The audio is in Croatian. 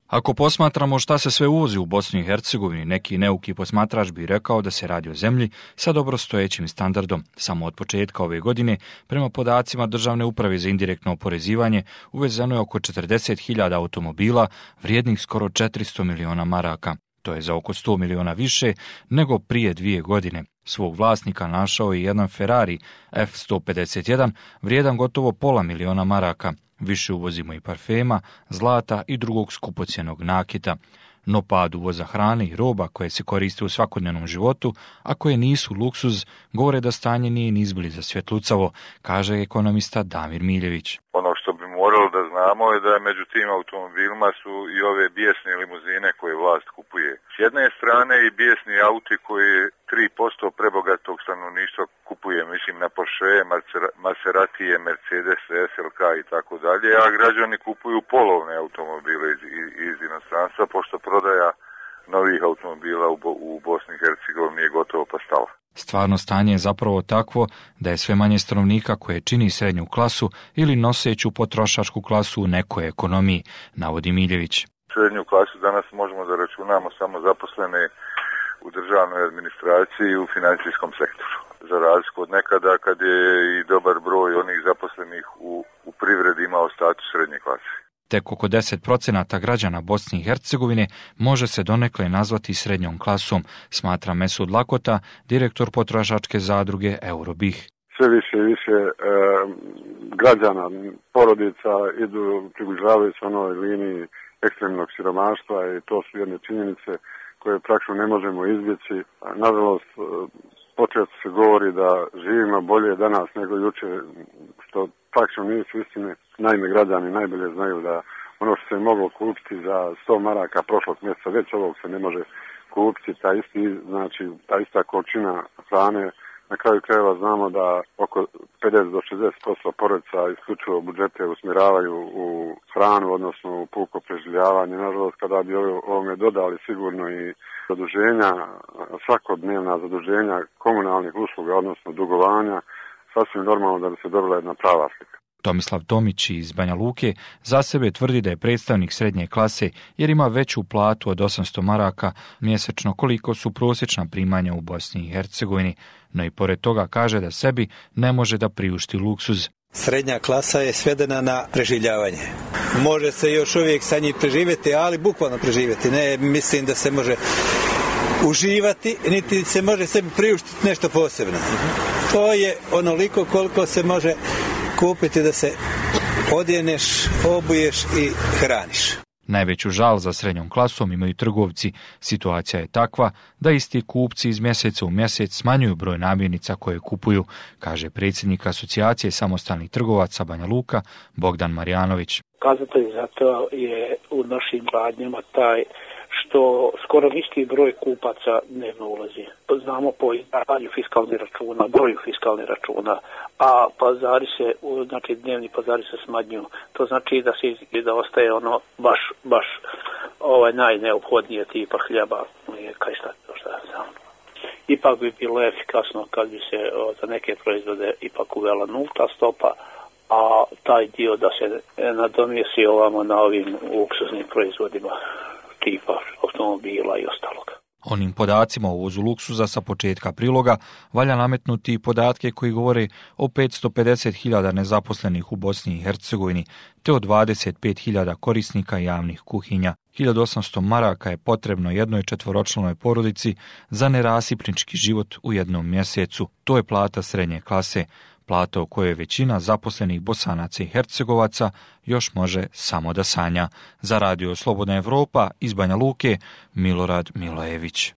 Ako posmatramo šta se sve uvozi u Bosni i Hercegovini, neki neuki posmatrač bi rekao da se radi o zemlji sa dobrostojećim standardom. Samo od početka ove godine, prema podacima Državne uprave za indirektno oporezivanje, uvezeno je oko 40.000 automobila vrijednih skoro 400 miliona maraka. To je za oko 100 miliona više nego prije 2 godine. Svog vlasnika našao je jedan Ferrari F151 vrijedan gotovo pola miliona maraka. Više uvozimo i parfema, zlata i drugog skupocjenog nakita. No pad uvoza hrane i roba koje se koriste u svakodnevnom životu, a koje nisu luksuz, govore da stanje nije ni izbliza svjetlucavo, kaže ekonomista Damir Miljević. Ono što bi morali da znamo je da među tim automobilima su i ove bijesne limuzine koje vlast kupuje. S jedne strane i bijesni auti koji 3% prebogatog stanovništva kupuje, mislim na Porsche, Maseratije, Mercedes, SLK i tako dalje, a građani kupuju polovne automobile iz inostranstva, pošto prodaja novih automobila u Bosni i Hercegovini je gotovo pa stala. Stvarno stanje je zapravo takvo da je sve manje stanovnika koje čini srednju klasu ili noseću potrošačku klasu u nekoj ekonomiji, navodi Miljević. Srednju klasu danas možemo da računamo samo zaposlene u državnoj administraciji i u financijskom sektoru. Za razliku od nekada kad je i dobar broj onih zaposlenih u privredi imao status srednje klase. Tek oko 10% građana Bosne i Hercegovine može se donekle nazvati srednjom klasom, smatra Mesud Lakota, direktor potrošačke zadruge Eurobih. Sve više i više građana, porodica približavaju se onoj liniji ekstremnog siromaštva i to su jedne činjenice koje praktično ne možemo izbjeći. Nažalost, počesto se govori da živimo bolje danas nego jučer, što praktično nisu istine. Naime, građani najbolje znaju da ono što se moglo kupiti za 100 maraka prošlog mjeseca, već ovog se ne može kupiti, ta ista količina hrane. Na kraju krajeva znamo da oko 50 do 60% porodica isključivo budžete usmjeravaju u hranu, odnosno u puko preživljavanje. Nažalost, kada bi ovome dodali sigurno i zaduženja, svakodnevna zaduženja komunalnih usluga, odnosno dugovanja, sasvim normalno da bi se dobila jedna prava slika. Tomislav Tomić iz Banja Luke za sebe tvrdi da je predstavnik srednje klase jer ima veću platu od 800 maraka mjesečno koliko su prosječna primanja u Bosni i Hercegovini, no i pored toga kaže da sebi ne može da priušti luksuz. Srednja klasa je svedena na preživljavanje. Može se još uvijek sa njih preživjeti, ali bukvalno preživjeti. Ne mislim da se može uživati, niti se može sebi priuštiti nešto posebno. To je onoliko koliko se može kupiti da se odjeneš, obuješ i hraniš. Najveću žal za srednjom klasom imaju trgovci. Situacija je takva da isti kupci iz mjeseca u mjesec smanjuju broj namirnica koje kupuju, kaže predsjednik Asocijacije samostalnih trgovaca Banja Luka Bogdan Marjanović. Kazatelj za to je u našim radnjama taj što skoro isti broj kupaca dnevno ulazi. Znamo po izdavanju fiskalnih računa, broju fiskalnih računa, a pazari se, znači dnevni pazari se smanjuju. To znači da ostaje ono baš najneophodnije tipa hljeba, mlijeka i šta znam. Ipak bi bilo efikasno kad bi se za neke proizvode ipak uvela nulta stopa, a taj dio da se nadomjesti ovamo na ovim luksuznim proizvodima tipa automobila i ostalog. Onim podacima o uvozu luksuza sa početka priloga valja nametnuti i podatke koji govore o 550.000 nezaposlenih u Bosni i Hercegovini te o 25.000 korisnika javnih kuhinja. 1.800 maraka je potrebno jednoj četvoročlanoj porodici za nerasipnički život u jednom mjesecu. To je plata srednje klase, plata o kojoj većina zaposlenih Bosanaca i Hercegovaca još može samo da sanja. Za Radio Slobodna Evropa iz Banja Luke, Milorad Milojević.